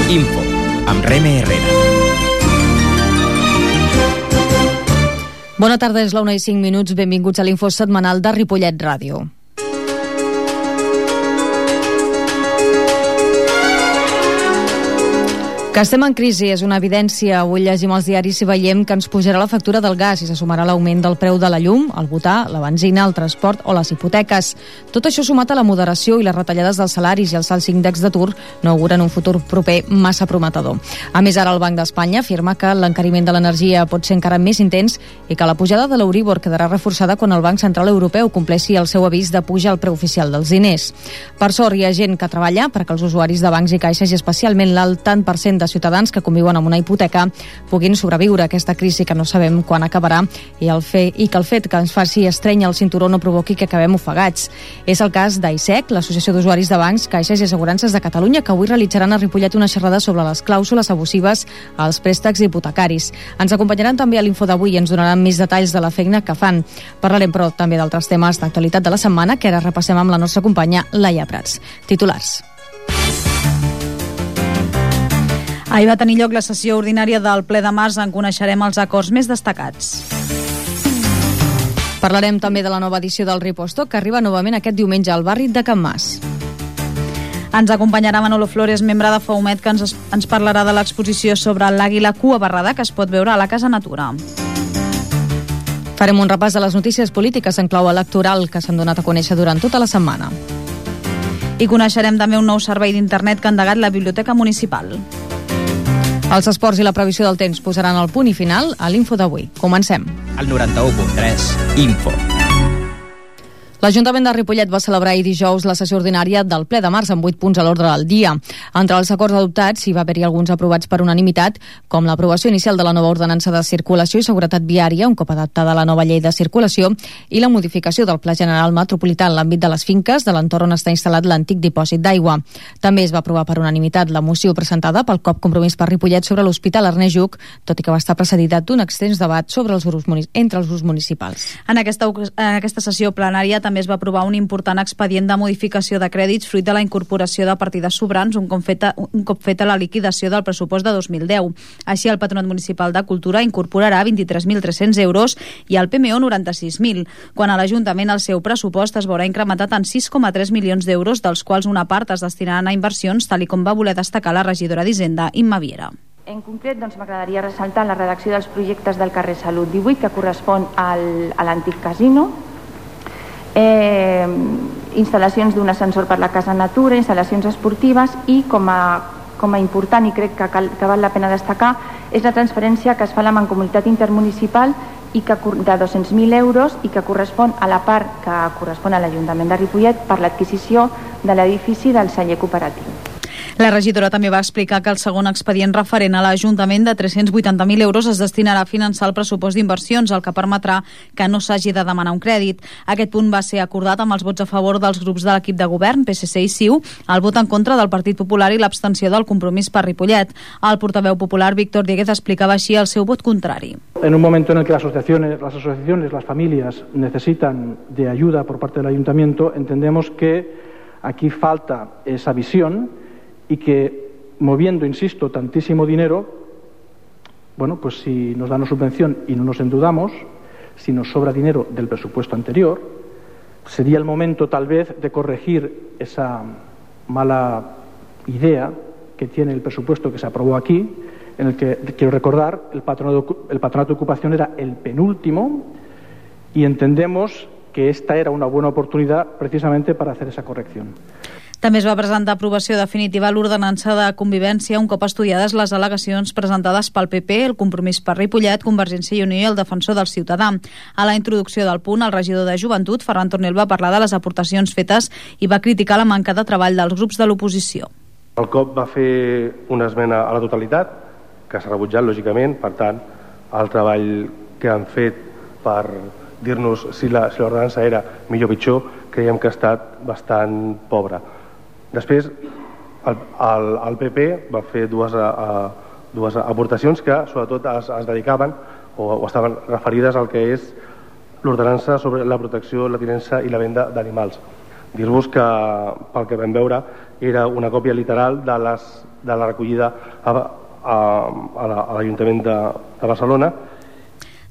Info, amb Reme Herrera. Bona tarda, és la 1:05. Benvinguts a l'Info setmanal de Ripollet Ràdio. Que estem en crisi és una evidència. Avui llegim els diaris i veiem que ens pujarà la factura del gas i se sumarà l'augment del preu de la llum, el butà, la benzina, el transport o les hipoteques. Tot això sumat a la moderació i les retallades dels salaris i els alts índexs d'atur no auguren un futur proper massa prometedor. A més, ara el Banc d'Espanya afirma que l'encariment de l'energia pot ser encara més intens i que la pujada de l'Euríbor quedarà reforçada quan el Banc Central Europeu compleixi el seu avís de puja al preu oficial dels diners. Per sort, hi ha gent que treballa perquè els usuaris de bancs i caixes i especialment l'alt tant % de ciutadans que conviuen amb una hipoteca puguin sobreviure a aquesta crisi que no sabem quan acabarà i que el fet que ens faci estrènyer el cinturó no provoqui que acabem ofegats. És el cas d'AISEC, l'Associació d'Usuaris de Bancs, Caixes i Assegurances de Catalunya, que avui realitzaran a Ripollet una xerrada sobre les clàusules abusives als préstecs hipotecaris. Ens acompanyaran també a l'Info d'avui i ens donaran més detalls de la feina que fan. Parlarem, però, també d'altres temes d'actualitat de la setmana que ara repassem amb la nostra companya Laia Prats. Titulars. Ahir va tenir lloc la sessió ordinària del ple de març, en coneixerem els acords més destacats. Parlarem també de la nova edició del Riposto, que arriba novament aquest diumenge al barri de Can Mas. Ens acompanyarà Manolo Flores, membre de Faumet, que ens parlarà de l'exposició sobre l'àguila cua barrada que es pot veure a la Casa Natura. Farem un repàs de les notícies polítiques en clau electoral que s'han donat a conèixer durant tota la setmana. I coneixerem també un nou servei d'internet que ha endegat la Biblioteca Municipal. Els esports i la previsió del temps posaran el punt i final a l'Info d'avui. Comencem. El 91.3, Info. L'Ajuntament de Ripollet va celebrar ahir dijous la sessió ordinària del ple de març amb 8 punts a l'ordre del dia. Entre els acords adoptats hi va haver-hi alguns aprovats per unanimitat, com l'aprovació inicial de la nova ordenança de circulació i seguretat viària, un cop adaptada a la nova llei de circulació, i la modificació del Pla General Metropolità en l'àmbit de les finques de l'entorn on està instal·lat l'antic dipòsit d'aigua. També es va aprovar per unanimitat la moció presentada pel COP Compromís per Ripollet sobre l'Hospital Ernest Lluch, tot i que va estar precedida d'un extens debat sobre entre els grups municipals. En aquesta sessió plenària també es va aprovar un important expedient de modificació de crèdits fruit de la incorporació de partides sobrants un cop feta la liquidació del pressupost de 2010. Així, el Patronat Municipal de Cultura incorporarà 23.300 euros i el PMO 96.000, quan a l'Ajuntament el seu pressupost es veurà incrementat en 6,3 milions d'euros, dels quals una part es destinaran a inversions, tal com va voler destacar la regidora d'Hisenda, Imma Viera. En concret, m'agradaria ressaltar la redacció dels projectes del carrer Salut 18, que correspon a l'antic casino, instal·lacions d'un ascensor per la Casa Natura, instal·lacions esportives i, com a important i crec que val la pena destacar, és la transferència que es fa a la Mancomunitat Intermunicipal de 200.000 euros i que correspon a la part que correspon a l'Ajuntament de Ripollet per l'adquisició de l'edifici del celler cooperatiu. La regidora també va explicar que el segon expedient referent a l'Ajuntament de 380.000 euros es destinarà a finançar el pressupost d'inversions, el que permetrà que no s'hagi de demanar un crèdit. Aquest punt va ser acordat amb els vots a favor dels grups de l'equip de govern, PSC i CiU, el vot en contra del Partit Popular i l'abstenció del Compromís per Ripollet. El portaveu popular, Víctor Dieguez, explicava així el seu vot contrari. En un momento en el que las asociaciones, las familias necesitan de ayuda por parte del Ayuntamiento, entendemos que aquí falta esa visión y que moviendo, insisto, tantísimo dinero, bueno, pues si nos dan una subvención y no nos endeudamos, si nos sobra dinero del presupuesto anterior, sería el momento tal vez de corregir esa mala idea que tiene el presupuesto que se aprobó aquí, en el que, quiero recordar, el patronato de ocupación era el penúltimo y entendemos que esta era una buena oportunidad precisamente para hacer esa corrección. També es va presentar aprovació definitiva l'ordenança de convivència un cop estudiades les al·legacions presentades pel PP, el Compromís per Ripollet, Convergència i Unió i el Defensor del Ciutadà. A la introducció del punt, el regidor de Joventut, Ferran Tornel, va parlar de les aportacions fetes i va criticar la manca de treball dels grups de l'oposició. El COP va fer una esmena a la totalitat, que s'ha rebutjat, lògicament. Per tant, el treball que han fet per dir-nos si l'ordenança era millor o pitjor, creiem que ha estat bastant pobra. Després, el PP va fer dues aportacions que sobretot es dedicaven o estaven referides al que és l'ordenança sobre la protecció, la tinença i la venda d'animals. Dir-vos que, pel que vam veure, era una còpia literal de la recollida a l'Ajuntament de Barcelona.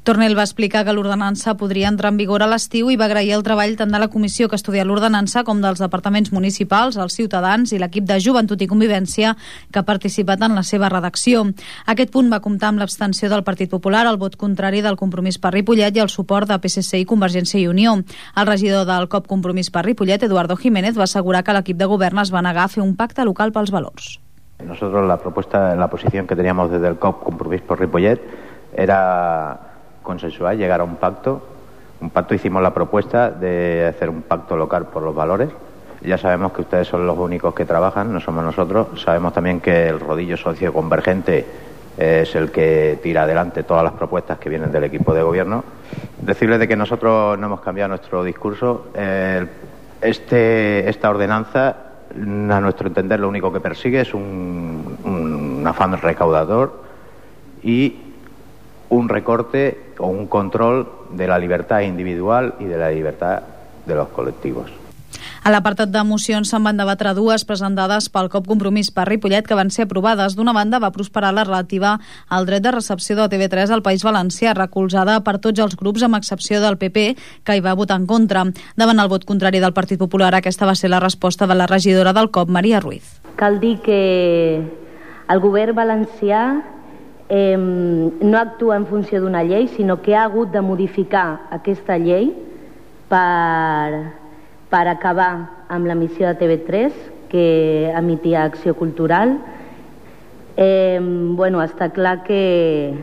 Tornel va explicar que l'ordenança podria entrar en vigor a l'estiu i va agrair el treball tant de la comissió que ha estudiat l'ordenança com dels departaments municipals, els ciutadans i l'equip de Joventut i Convivència que ha participat en la seva redacció. Aquest punt va comptar amb l'abstenció del Partit Popular, el vot contrari del Compromís per Ripollet i el suport de PSC i Convergència i Unió. El regidor del COP Compromís per Ripollet, Eduardo Jiménez, va assegurar que l'equip de govern es va negar a fer un pacte local pels valors. Nosotros la posición que teníamos desde el COP Compromís por Ripollet era consensuar, llegar a un pacto. Hicimos la propuesta de hacer un pacto local por los valores. Ya sabemos que ustedes son los únicos que trabajan, no somos nosotros. Sabemos también que el rodillo socioconvergente es el que tira adelante todas las propuestas que vienen del equipo de gobierno. Decirles de que nosotros no hemos cambiado nuestro discurso. Esta ordenanza, a nuestro entender, lo único que persigue es un afán recaudador y un recorte o un control de la libertad individual y de la libertad de los colectivos. A l'apartat de mocions se'n van debatre dues presentades pel COP Compromís per Ripollet que van ser aprovades. D'una banda va prosperar la relativa al dret de recepció de TV3 al País Valencià, recolzada per tots els grups amb excepció del PP, que hi va votar en contra. Davant el vot contrari del Partit Popular, aquesta va ser la resposta de la regidora del COP, Maria Ruiz. Cal dir que el govern valencià no actua en funció d'una llei, sinó que ha hagut de modificar aquesta llei per acabar amb l'emissió de TV3 que emitia Acció Cultural. Està clar que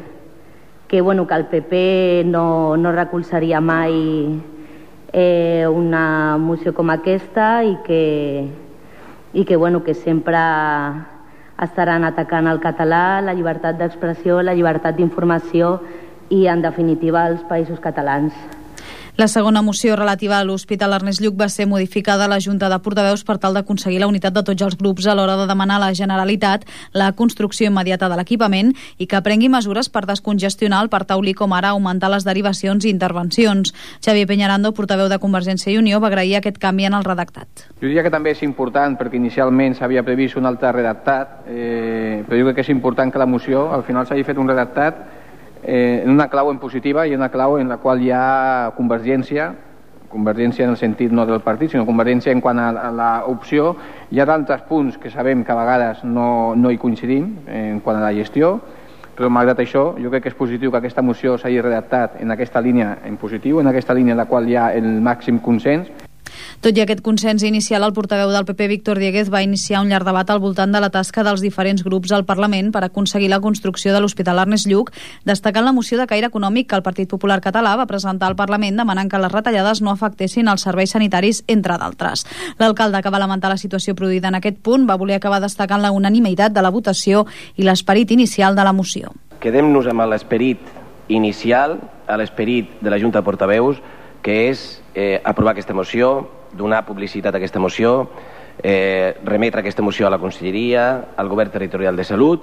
el PP no recolzaria mai una moció com aquesta i que sempre estaran atacant el català, la llibertat d'expressió, la llibertat d'informació i, en definitiva, els països catalans. La segona moció relativa a l'Hospital Ernest Lluch va ser modificada a la Junta de Portaveus per tal d'aconseguir la unitat de tots els grups a l'hora de demanar a la Generalitat la construcció immediata de l'equipament i que prengui mesures per descongestionar el Parc Taulí, com ara augmentar les derivacions i intervencions. Xavier Peñarando, portaveu de Convergència i Unió, va agrair aquest canvi en el redactat. Jo diria que també és important perquè inicialment s'havia previst un altre redactat, però jo crec que és important que la moció al final s'hagi fet un redactat en una clau en positiva i una clau en la qual hi ha convergència en el sentit no del partit, sinó convergència en quant a l'opció. Hi ha d'altres punts que sabem que a vegades no hi coincidim en quant a la gestió, però malgrat això jo crec que és positiu que aquesta moció s'hagi redactat en aquesta línia en positiu, en aquesta línia en la qual hi ha el màxim consens. Tot i aquest consens inicial, el portaveu del PP, Víctor Dieguez, va iniciar un llarg debat al voltant de la tasca dels diferents grups al Parlament per aconseguir la construcció de l'Hospital Ernest Lluch, destacant la moció de caire econòmic que el Partit Popular Català va presentar al Parlament demanant que les retallades no afectessin els serveis sanitaris, entre d'altres. L'alcalde, que va lamentar la situació produïda en aquest punt, va voler acabar destacant la unanimitat de la votació i l'esperit inicial de la moció. Quedem-nos amb l'esperit inicial, a l'esperit de la Junta de Portaveus, que és aprovar aquesta moció, donar publicitat a aquesta moció, remetre aquesta moció a la Conselleria, al Govern Territorial de Salut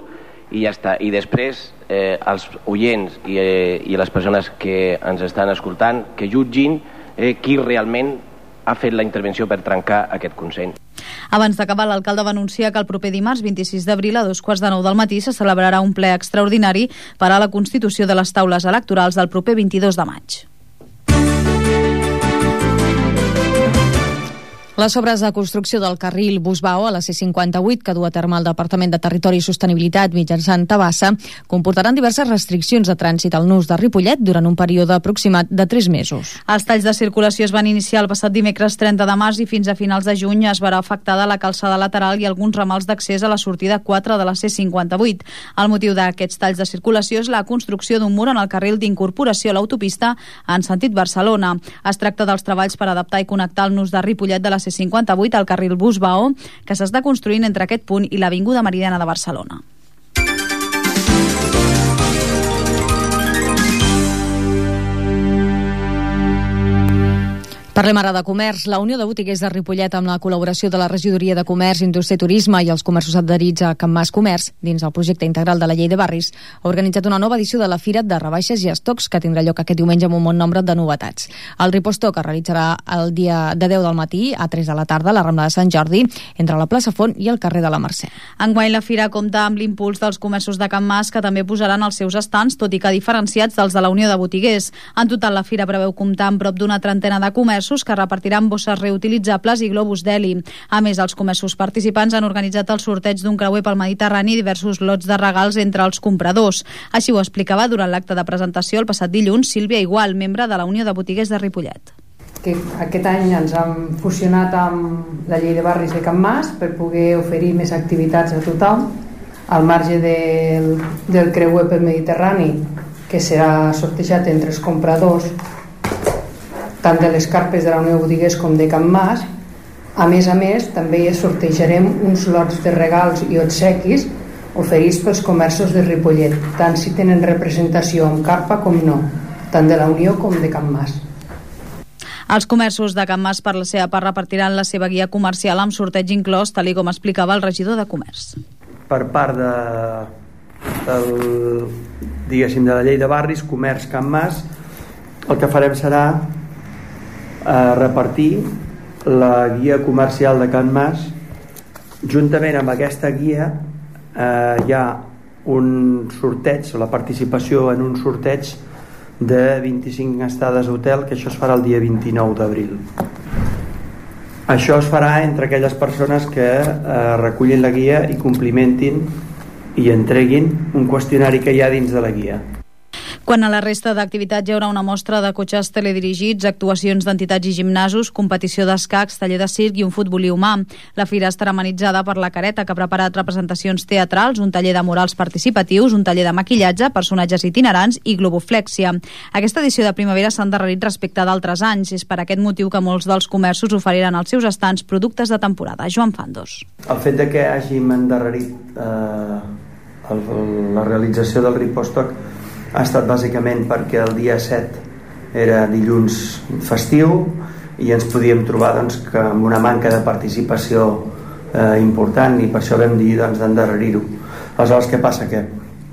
i ja està. I després els oients i les persones que ens estan escoltant que jutgin qui realment ha fet la intervenció per trencar aquest consens. Abans d'acabar, l'alcalde va anunciar que el proper dimarts 26 d'abril a 2:15 del matí se celebrarà un ple extraordinari per a la constitució de les taules electorals del proper 22 de maig. Les obres de construcció del carril Busbao a la C58, que du a terme el Departament de Territori i Sostenibilitat mitjançant Tabassa, comportaran diverses restriccions de trànsit al nus de Ripollet durant un període aproximat de 3 mesos. Els talls de circulació es van iniciar el passat dimecres 30 de març i fins a finals de juny es verà afectada la calçada lateral i alguns ramals d'accés a la sortida 4 de la C58. El motiu d'aquests talls de circulació és la construcció d'un mur en el carril d'incorporació a l'autopista en sentit Barcelona. Es tracta dels treballs per adaptar i connectar el nus de Ripollet de la C58 al carril Busbao, que s'està construint entre aquest punt i l'Avinguda Meridiana de Barcelona. Parlem ara de comerç. La Unió de Botiguers de Ripollet, amb la col·laboració de la Regidoria de Comerç, Indústria i Turisme i els comerços adherits a Can Mas Comerç, dins el projecte integral de la Llei de Barris, ha organitzat una nova edició de la Fira de Rebaixes i Estocs, que tindrà lloc aquest diumenge amb un bon nombre de novetats. El Ripostoc es realitzarà el dia de 10 del matí a 3 de la tarda a la Rambla de Sant Jordi, entre la plaça Font i el carrer de la Mercè. Enguany la Fira compta amb l'impuls dels comerços de Can Mas, que també posaran els seus estants, tot i que diferenciats dels de la Unió de Botiguers. En total, la Fira preveu comptar amb prop d'una trentena de comerços que repartiran bosses reutilitzables i globus d'heli. A més, els comerços participants han organitzat el sorteig d'un creuer pel Mediterrani i diversos lots de regals entre els compradors. Així ho explicava durant l'acte de presentació el passat dilluns Sílvia Igual, membre de la Unió de Botiguers de Ripollet. Que aquest any ens hem fusionat amb la Llei de Barris de Can Mas per poder oferir més activitats a tothom, al marge del creuer pel Mediterrani, que serà sortejat entre els compradors tant de les carpes de la Unió de Botiguers com de Can Mas. A més, també sortejarem uns lots de regals i obsequis oferits pels comerços de Ripollet, tant si tenen representació amb carpa com no, tant de la Unió com de Can Mas. Els comerços de Can Mas, per la seva part, repartiran la seva guia comercial amb sorteig inclòs, tal com explicava el regidor de Comerç. Per part de la Llei de Barris, Comerç Can Mas, el que farem serà repartir la guia comercial de Can Mas. Juntament amb aquesta guia hi ha un sorteig, la participació en un sorteig de 25 estades d'hotel, que això es farà el dia 29 d'abril. Això es farà entre aquelles persones que recullin la guia i complimentin i entreguin un qüestionari que hi ha dins de la guia. Quan a la resta d'activitats hi haurà una mostra de cotxes teledirigits, actuacions d'entitats i gimnasos, competició d'escacs, taller de circ i un futbolí humà. La fira estarà amenitzada per la Careta, que ha preparat representacions teatrals, un taller de murals participatius, un taller de maquillatge, personatges itinerants i globoflèxia. Aquesta edició de primavera s'ha endarrerit respecte d'altres anys. És per aquest motiu que molts dels comerços oferiran als seus estants productes de temporada. Joan Fandos. El fet de que hàgim endarrerit la realització del Ripostoc ha estat bàsicament perquè el dia 7 era dilluns festiu i ens podíem trobar que amb una manca de participació important, i per això vam dir d'endarrerir-ho. Aleshores, què passa? Que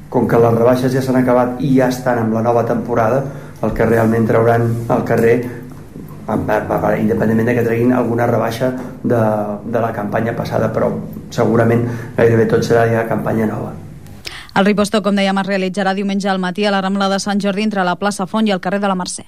com que les rebaixes ja s'han acabat i ja estan amb la nova temporada, el que realment trauran al carrer, independentment de que treguin alguna rebaixa de la campanya passada, però segurament gairebé tot serà ja campanya nova. El Ripostoc, com dèiem, es realitzarà diumenge al matí a la Rambla de Sant Jordi entre la plaça Font i el carrer de la Mercè.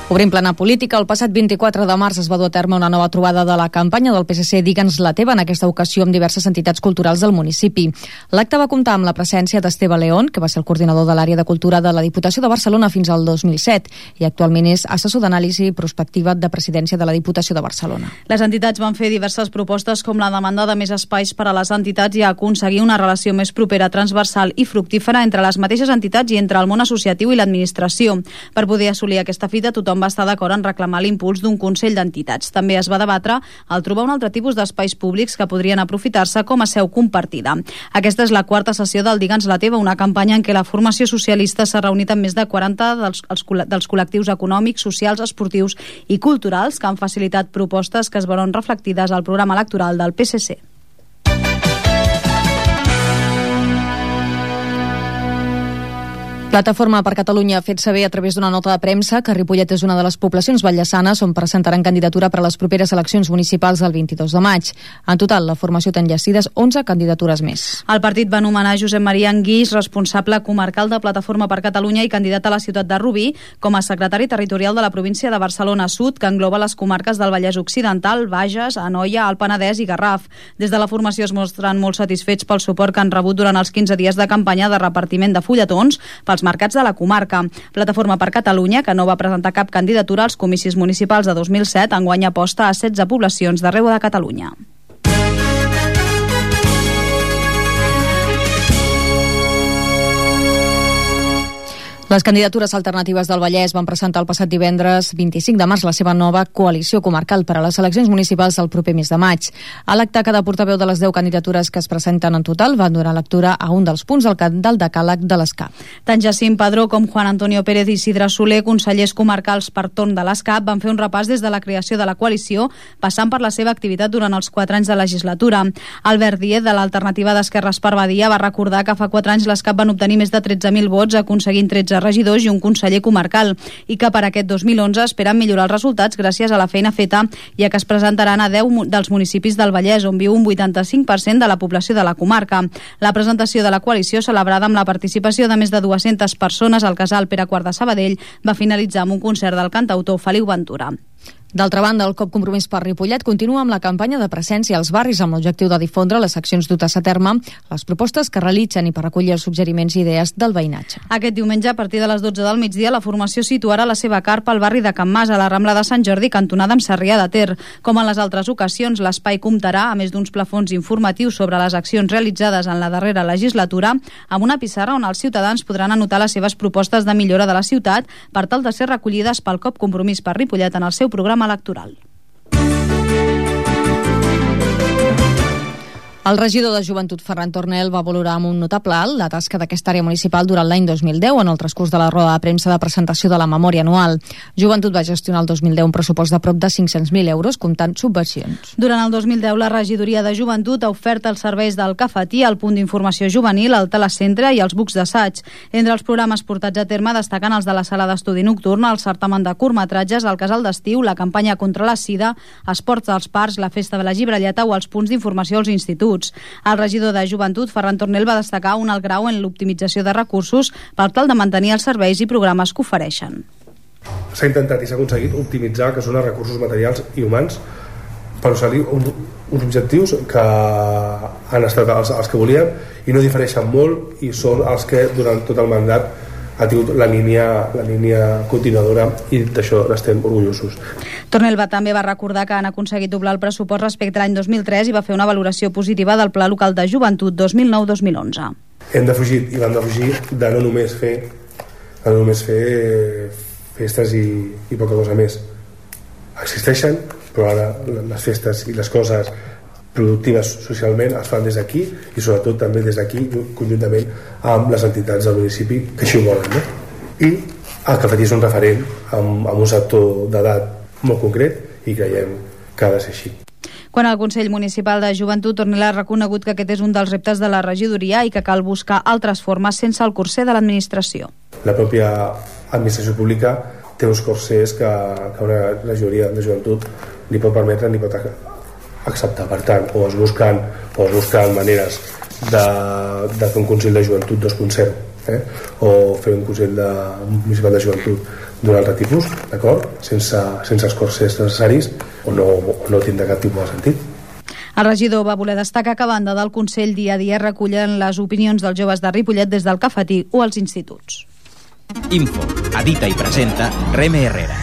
Obrim plana política. El passat 24 de març es va dur a terme una nova trobada de la campanya del PSC Digue'ns la teva, en aquesta ocasió amb diverses entitats culturals del municipi. L'acte va comptar amb la presència d'Esteve León, que va ser el coordinador de l'àrea de cultura de la Diputació de Barcelona fins al 2007 i actualment és assessor d'anàlisi prospectiva de presidència de la Diputació de Barcelona. Les entitats van fer diverses propostes, com la demanda de més espais per a les entitats i aconseguir una relació més propera, transversal i fructífera entre les mateixes entitats i entre el món associatiu i l'administració. Per poder assolir aquesta fita, tothom va estar d'acord en reclamar l'impuls d'un Consell d'Entitats. També es va debatre el trobar un altre tipus d'espais públics que podrien aprofitar-se com a seu compartida. Aquesta és la quarta sessió del Digue'ns la teva, una campanya en què la formació socialista s'ha reunit amb més de 40 dels col·lectius econòmics, socials, esportius i culturals que han facilitat propostes que es veuen reflectides al programa electoral del PSC. Plataforma per Catalunya ha fet saber a través d'una nota de premsa que Ripollet és una de les poblacions vallesanes on presentaran candidatura per a les properes eleccions municipals del 22 de maig. En total, la formació té enllacides 11 candidatures més. El partit va nomenar Josep Maria Anguix, responsable comarcal de Plataforma per Catalunya i candidat a la ciutat de Rubí, com a secretari territorial de la província de Barcelona Sud, que engloba les comarques del Vallès Occidental, Bages, Anoia, el Penedès i Garraf. Des de la formació es mostren molt satisfets pel suport que han rebut durant els 15 dies de campanya de repartiment de fulletons pels mercats de la comarca. Plataforma per Catalunya, que no va presentar cap candidatura als comicis municipals de 2007, enguany aposta a 16 poblacions d'arreu de Catalunya. Les candidatures alternatives del Vallès van presentar el passat divendres 25 de març la seva nova coalició comarcal per a les eleccions municipals del proper mes de maig. A l'acte, cada portaveu de les 10 candidatures que es presenten en total van donar lectura a un dels punts del decàleg de l'ESCAP. Tant Jacint Padró com Juan Antonio Pérez i Isidre Soler, consellers comarcals per torn de l'ESCAP, van fer un repàs des de la creació de la coalició, passant per la seva activitat durant els 4 anys de legislatura. Albert Díez, de l'alternativa d'Esquerres per Badia, va recordar que fa 4 anys l'ESCAP va obtenir més de 13.000 vots, aconseguint 13 regidors i un conseller comarcal, i que per aquest 2011 esperen millorar els resultats gràcies a la feina feta, ja que es presentaran a 10 dels municipis del Vallès, on viu un 85% de la població de la comarca. La presentació de la coalició, celebrada amb la participació de més de 200 persones al casal Pere IV de Sabadell, va finalitzar amb un concert del cantautor Feliu Ventura. D'altra banda, el COP Compromís per Ripollet continua amb la campanya de presència als barris amb l'objectiu de difondre les accions dutes a terme, les propostes que realitzen i per recollir els suggeriments i idees del veïnatge. Aquest diumenge, a partir de les 12 del migdia, la formació situarà la seva carpa al barri de Can Mas, a la Rambla de Sant Jordi, cantonada amb Sarrià de Ter. Com en les altres ocasions, l'espai comptarà, a més d'uns plafons informatius sobre les accions realitzades en la darrera legislatura, amb una pissarra on els ciutadans podran anotar les seves propostes de millora de la ciutat per tal de ser recollides pel COP Compromís per Ripollet en el seu programa electoral. El regidor de Joventut, Ferran Tornel, va valorar amb un notable alt la tasca d'aquesta àrea municipal durant l'any 2010 en el transcurs de la roda de premsa de presentació de la memòria anual. Joventut va gestionar el 2010 un pressupost de prop de 500.000 euros, comptant subvencions. Durant el 2010, la regidoria de Joventut ha ofert els serveis del cafetí, el punt d'informació juvenil, el telecentre i els bucs d'assaig. Entre els programes portats a terme destaquen els de la sala d'estudi nocturn, el certamen de curtmetratges, el casal d'estiu, la campanya contra la sida, esports dels parcs, la festa de la llibrelleta o els punts d'informació als instituts. El regidor de Joventut, Ferran Tornel, va destacar un alt grau en l'optimització de recursos per tal de mantenir els serveis i programes que ofereixen. S'ha intentat i s'ha aconseguit optimitzar que són els recursos materials i humans per assolir uns objectius que han estat els que volíem i no difereixen molt i són els que durant tot el mandat ha tingut la línia continuadora i d'això n'estem orgullosos. Tornel també va recordar que han aconseguit doblar el pressupost respecte a l'any 2003 i va fer una valoració positiva del Pla Local de Joventut 2009-2011. Hem defugit i vam defugir de no només fer festes i poca cosa més. Existeixen, però ara les festes i les coses productives socialment es fan des d'aquí i sobretot també des d'aquí conjuntament amb les entitats del municipi que així ho volen, no? I el cafetí és un referent amb un sector d'edat molt concret i creiem que ha de ser així. Quan el Consell Municipal de Joventut, Tornel ha reconegut que aquest és un dels reptes de la regidoria i que cal buscar altres formes sense el corser de l'administració. La pròpia administració pública té uns corsers que una regidoria de joventut ni pot permetre ni pot acceptar. Per tant, o es busquen maneres de fer un Consell de Joventut 2.0, o fer un Consell Municipal de Joventut d'un altre tipus, d'acord? Sense els corsers necessaris, o no tindrà cap tipus de sentit. El regidor va voler destacar que a banda del Consell dia a dia recullen les opinions dels joves de Ripollet des del cafetí o als instituts. Info, edita i presenta Reme Herrera.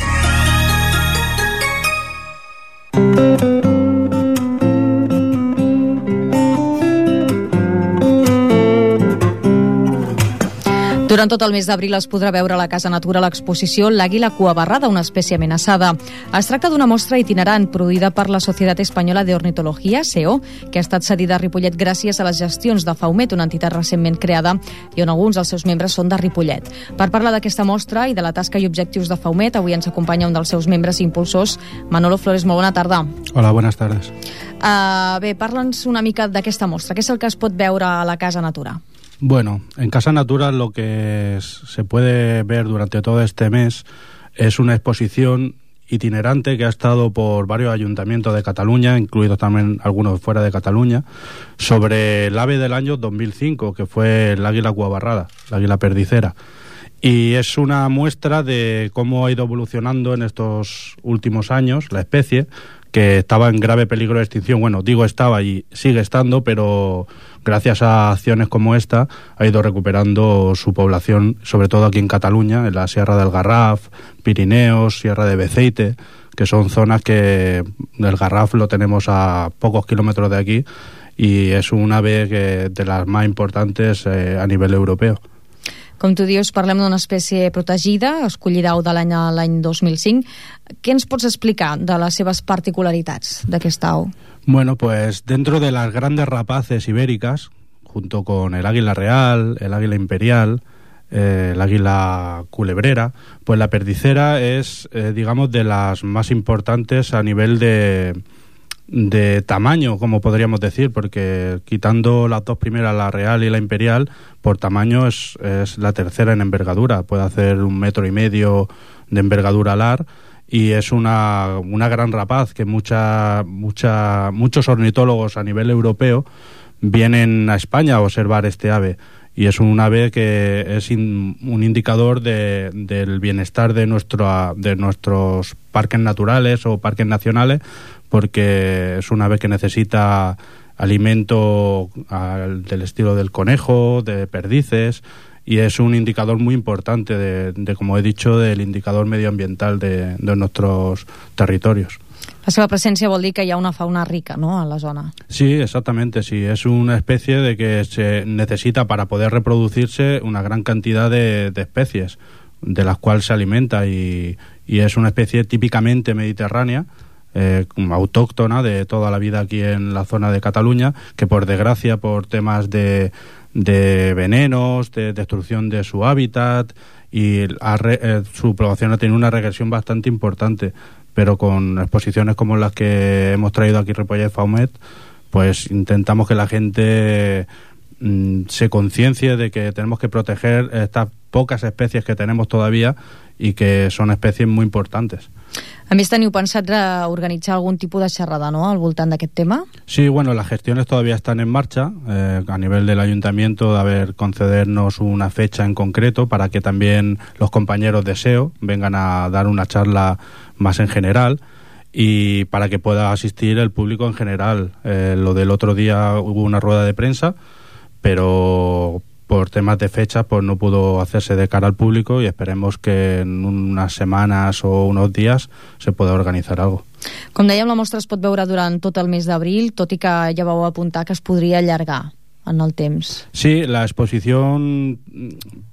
Durant tot el mes d'abril es podrà veure a la Casa Natura l'exposició L'àguila cuabarrada, una espècie amenaçada. Es tracta d'una mostra itinerant produïda per la Societat Espanyola de Ornitología, SEO, que ha estat cedida a Ripollet gràcies a les gestions de Faumet, una entitat recentment creada i on alguns dels seus membres són de Ripollet. Per parlar d'aquesta mostra i de la tasca i objectius de Faumet, avui ens acompanya un dels seus membres i impulsors, Manolo Flores. Molt bona tarda. Hola, buenas tardes. Bé, parla'ns una mica d'aquesta mostra. Què és el que es pot veure a la Casa Natura? Bueno, en Casa Natura lo que se puede ver durante todo este mes es una exposición itinerante que ha estado por varios ayuntamientos de Cataluña, incluidos también algunos fuera de Cataluña, sobre el ave del año 2005, que fue el águila cuabarrada, la águila perdicera. Y es una muestra de cómo ha ido evolucionando en estos últimos años la especie, que estaba en grave peligro de extinción. Bueno, digo estaba y sigue estando, pero gracias a acciones como esta ha ido recuperando su población, sobre todo aquí en Cataluña, en la Sierra del Garraf, Pirineos, Sierra de Beceite, que son zonas que el Garraf lo tenemos a pocos kilómetros de aquí y es un ave de las más importantes a nivel europeo. Com tu dius, parlem d'una espècie protegida, escollida au de l'any 2005. Què ens pots explicar de les seves particularitats d'aquesta au? Bueno, pues dentro de las grandes rapaces ibéricas, junto con el águila real, el águila imperial, el águila culebrera, pues la perdicera es, digamos, de las más importantes a nivel de tamaño, como podríamos decir, porque quitando las dos primeras, la real y la imperial, por tamaño es la tercera en envergadura. Puede hacer 1,5 metros de envergadura alar, y es una gran rapaz que muchos ornitólogos a nivel europeo vienen a España a observar este ave. Y es un ave que es un indicador del bienestar de nuestros parques naturales o parques nacionales, porque es un ave que necesita alimento del estilo del conejo, de perdices, y es un indicador muy importante de como he dicho, del indicador medioambiental de nuestros territorios. La seva presència vol dir que hi ha una fauna rica, ¿no?, a la zona. Sí, exactamente, sí. Es una especie de que se necesita para poder reproducirse una gran cantidad de especies de las cuales se alimenta, y es una especie típicamente mediterránea, autóctona de toda la vida aquí en la zona de Cataluña, que por desgracia, por temas de venenos, de destrucción de su hábitat, y su población ha tenido una regresión bastante importante. Pero con exposiciones como las que hemos traído aquí Ripollet Faumet, pues intentamos que la gente se conciencie de que tenemos que proteger estas pocas especies que tenemos todavía, y que son especies muy importantes. A més, teniu pensat organitzar algún tipus de xerrada, ¿no?, al voltant d'aquest tema? Sí, bueno, las gestiones todavía están en marcha a nivel del ayuntamiento, de concedernos una fecha en concreto para que también los compañeros de SEO vengan a dar una charla más en general, y para que pueda asistir el público en general. Lo del otro día hubo una rueda de prensa, pero por temas de fecha pues no pudo hacerse de cara al público, y esperemos que en unas semanas o unos días se pueda organitzar algo. Com dèiem, la mostra es pot veure durant tot el mes d'abril, tot i que ja vau apuntar que es podria allargar en el temps. Sí, la exposición,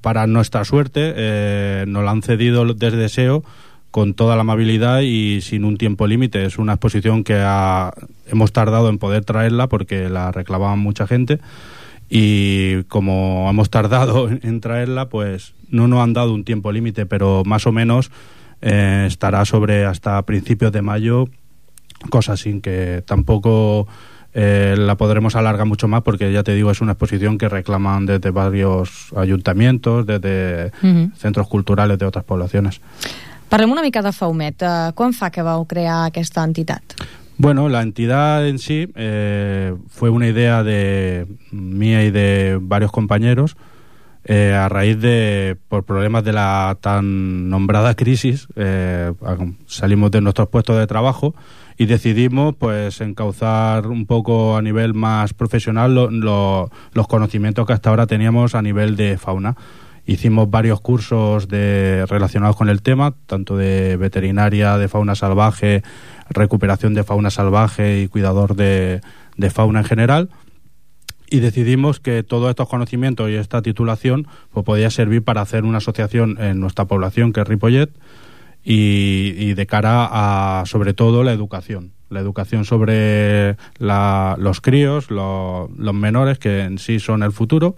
para nuestra suerte, nos la han cedido desde SEO con toda la amabilidad y sin un tiempo límite. Es una exposición que hemos tardado en poder traerla porque la reclamaban mucha gente, y como hemos tardado en traerla, pues no nos han dado un tiempo límite, pero más o menos estará sobre hasta principios de mayo, cosa sin que tampoco la podremos alargar mucho más, porque ya te digo, es una exposición que reclaman desde varios ayuntamientos, desde centros culturales de otras poblaciones. Parlem una mica de Faumet. Quan fa que vau crear aquesta entitat? Bueno, la entidad en sí fue una idea mía y de varios compañeros a raíz por problemas de la tan nombrada crisis. Salimos de nuestros puestos de trabajo y decidimos pues encauzar un poco a nivel más profesional los conocimientos que hasta ahora teníamos a nivel de fauna. Hicimos varios cursos relacionados con el tema, tanto de veterinaria, de fauna salvaje, recuperación de fauna salvaje y cuidador de fauna en general, y decidimos que todos estos conocimientos y esta titulación pues podía servir para hacer una asociación en nuestra población, que es Ripollet, y de cara a, sobre todo, la educación sobre los críos, los menores, que en sí son el futuro.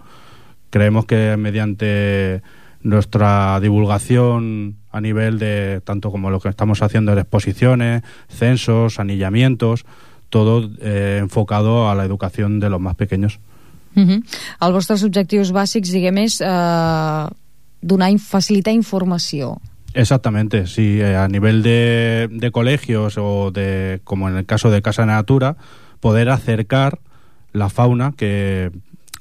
Creemos que mediante nuestra divulgación a nivel de tanto como lo que estamos haciendo en exposiciones, censos, anillamientos, todo enfocado a la educación de los más pequeños. Els vostres objectius bàsics, diguem, és facilitar informació. Exactamente, sí, a nivel de colegios o como en el caso de Casa Natura, poder acercar la fauna que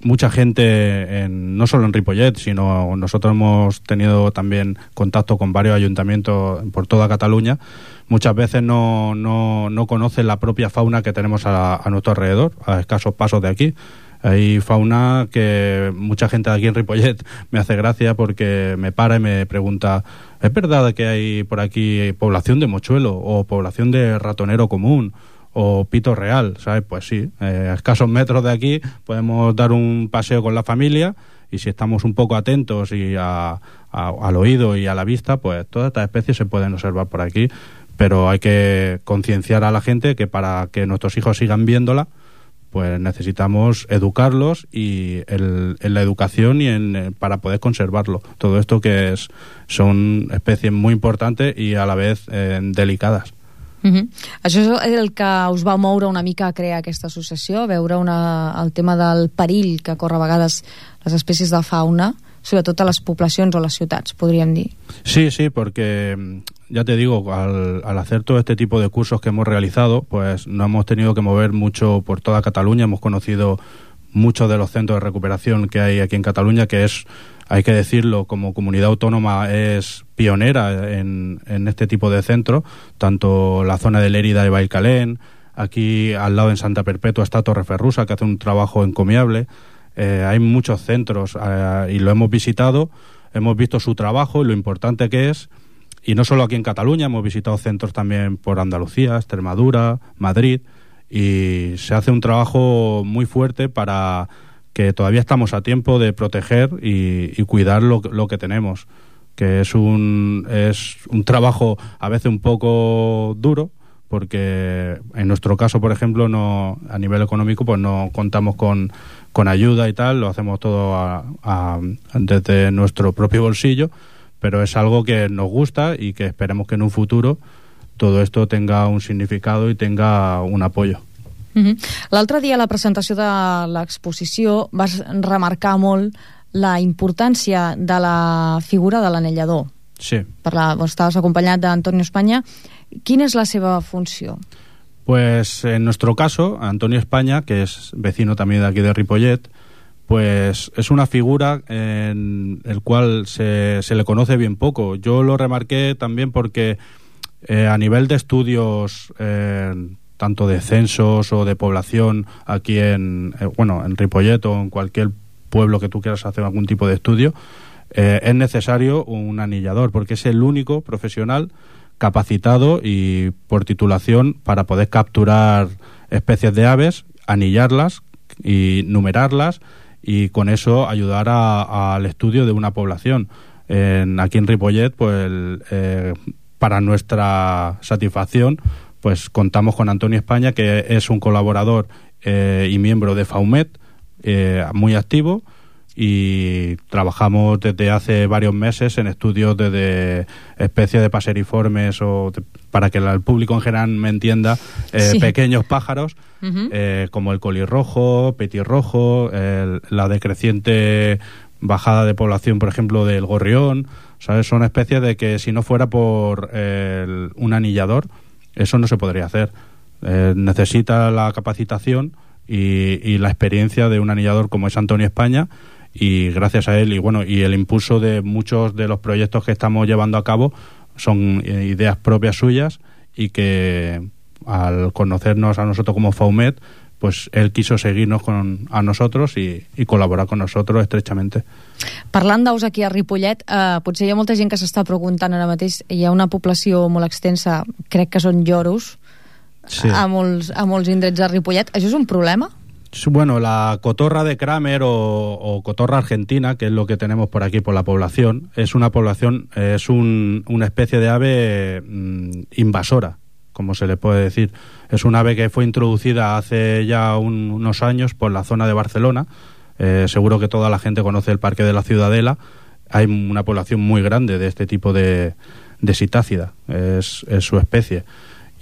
mucha gente, no solo en Ripollet, sino nosotros hemos tenido también contacto con varios ayuntamientos por toda Cataluña, muchas veces no conocen la propia fauna que tenemos a nuestro alrededor, a escasos pasos de aquí. Hay fauna que mucha gente de aquí en Ripollet me hace gracia porque me para y me pregunta: ¿es verdad que hay por aquí población de mochuelo o población de ratonero común o pito real? ¿Sabes? Pues sí, a escasos metros de aquí podemos dar un paseo con la familia y si estamos un poco atentos y al oído y a la vista, pues todas estas especies se pueden observar por aquí, pero hay que concienciar a la gente que para que nuestros hijos sigan viéndola, pues necesitamos educarlos y en la educación y para poder conservarlo. Todo esto que son especies muy importantes y a la vez delicadas. Això és el que us va moure una mica a crear aquesta associació, veure el tema del perill que corre a vegades les espècies de fauna, sobretot a les poblacions o a les ciutats, podríem dir. Sí, porque ya te digo, al hacer todo este tipo de cursos que hemos realizado, pues nos hemos tenido que mover mucho por toda Cataluña, hemos conocido muchos de los centros de recuperación que hay aquí en Cataluña, que es, hay que decirlo, como comunidad autónoma es pionera en este tipo de centros, tanto la zona de Lérida y Bailcalén, aquí al lado en Santa Perpetua está Torreferrusa, que hace un trabajo encomiable. Hay muchos centros y lo hemos visitado, hemos visto su trabajo y lo importante que es, y no solo aquí en Cataluña, hemos visitado centros también por Andalucía, Extremadura, Madrid, y se hace un trabajo muy fuerte para que todavía estamos a tiempo de proteger y cuidar lo que tenemos, que es un trabajo a veces un poco duro, porque en nuestro caso, por ejemplo, no, a nivel económico, pues no contamos con ayuda y tal, lo hacemos todo desde nuestro propio bolsillo, pero es algo que nos gusta y que esperemos que en un futuro todo esto tenga un significado i tenga un apoyo. L'altre dia a la presentació de l'exposició vas remarcar molt la importància de la figura de l'anellador. Sí. Estaves acompanyat d'Antonio España. Quina és la seva funció? Pues en nuestro caso, Antonio España, que es vecino también de aquí de Ripollet, pues es una figura en el cual se le conoce bien poco. Yo lo remarqué también porque a nivel de estudios, tanto de censos o de población aquí en Ripollet o en cualquier pueblo que tú quieras hacer algún tipo de estudio, es necesario un anillador, porque es el único profesional capacitado y por titulación para poder capturar especies de aves, anillarlas y numerarlas y con eso ayudar al estudio de una población. Aquí en Ripollet, pues para nuestra satisfacción, pues contamos con Antonio España, que es un colaborador y miembro de FAUMET, muy activo, y trabajamos desde hace varios meses en estudios de especies de paseriformes para que el público en general me entienda, sí. Pequeños pájaros, como el colirrojo, petirrojo, la decreciente bajada de población, por ejemplo, del gorrión, ¿sabes? Son especies de que si no fuera por un anillador, eso no se podría hacer. Necesita la capacitación y la experiencia de un anillador como es Antonio España, y gracias a él y el impulso de muchos de los proyectos que estamos llevando a cabo son ideas propias suyas, y que al conocernos a nosotros como FAUMET, pues él quiso seguirnos a nosotros y colaborar con nosotros estrechamente. Parlant d'aus aquí a Ripollet, potser hi ha molta gent que s'està preguntant ara mateix, hi ha una població molt extensa, crec que són lloros, sí. a molts indrets de Ripollet. Això és un problema? Bueno, la cotorra de Kramer o cotorra argentina, que es lo que tenemos por aquí por la población, es una especie de ave invasora, como se le puede decir. Es un ave que fue introducida hace ya unos años por la zona de Barcelona. Seguro que toda la gente conoce el Parque de la Ciudadela. Hay una población muy grande de este tipo de sitácida, es su especie.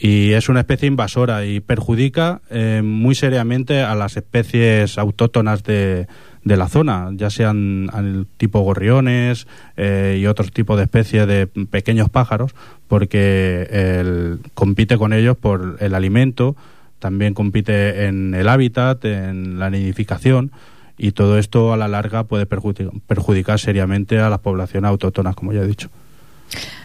Y es una especie invasora y perjudica muy seriamente a las especies autóctonas de la zona, ya sean el tipo gorriones y otros tipos de especies de pequeños pájaros, porque compite con ellos por el alimento, también compite en el hábitat, en la nidificación, y todo esto a la larga puede perjudicar seriamente a las poblaciones autóctonas, como ya he dicho.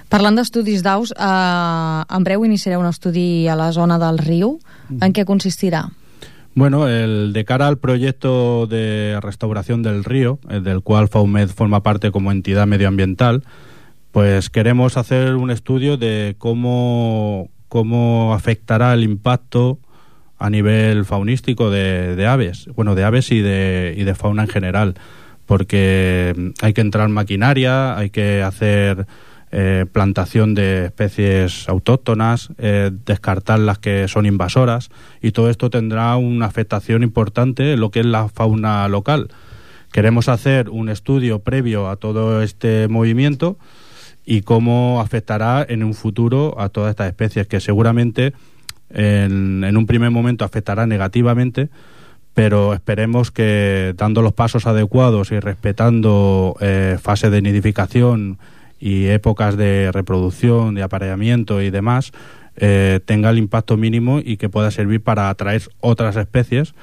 Parlant d'estudis d'aus, en breu iniciareu un estudi a la zona del riu. En què consistirà? Bueno, de cara al proyecto de restauración del río, del cual FAUMET forma parte como entidad medioambiental, pues queremos hacer un estudio de cómo afectará el impacto a nivel faunístico de aves, de aves y de fauna en general, porque hay que entrar maquinaria, hay que hacer plantación de especies autóctonas, descartar las que son invasoras, y todo esto tendrá una afectación importante en lo que es la fauna local. Queremos hacer un estudio previo a todo este movimiento y cómo afectará en un futuro a todas estas especies, que seguramente en un primer momento afectará negativamente, pero esperemos que dando los pasos adecuados y respetando fases de nidificación y épocas de reproducción, de apareamiento y demás, tenga el impacto mínimo y que pueda servir para atraer otras especies,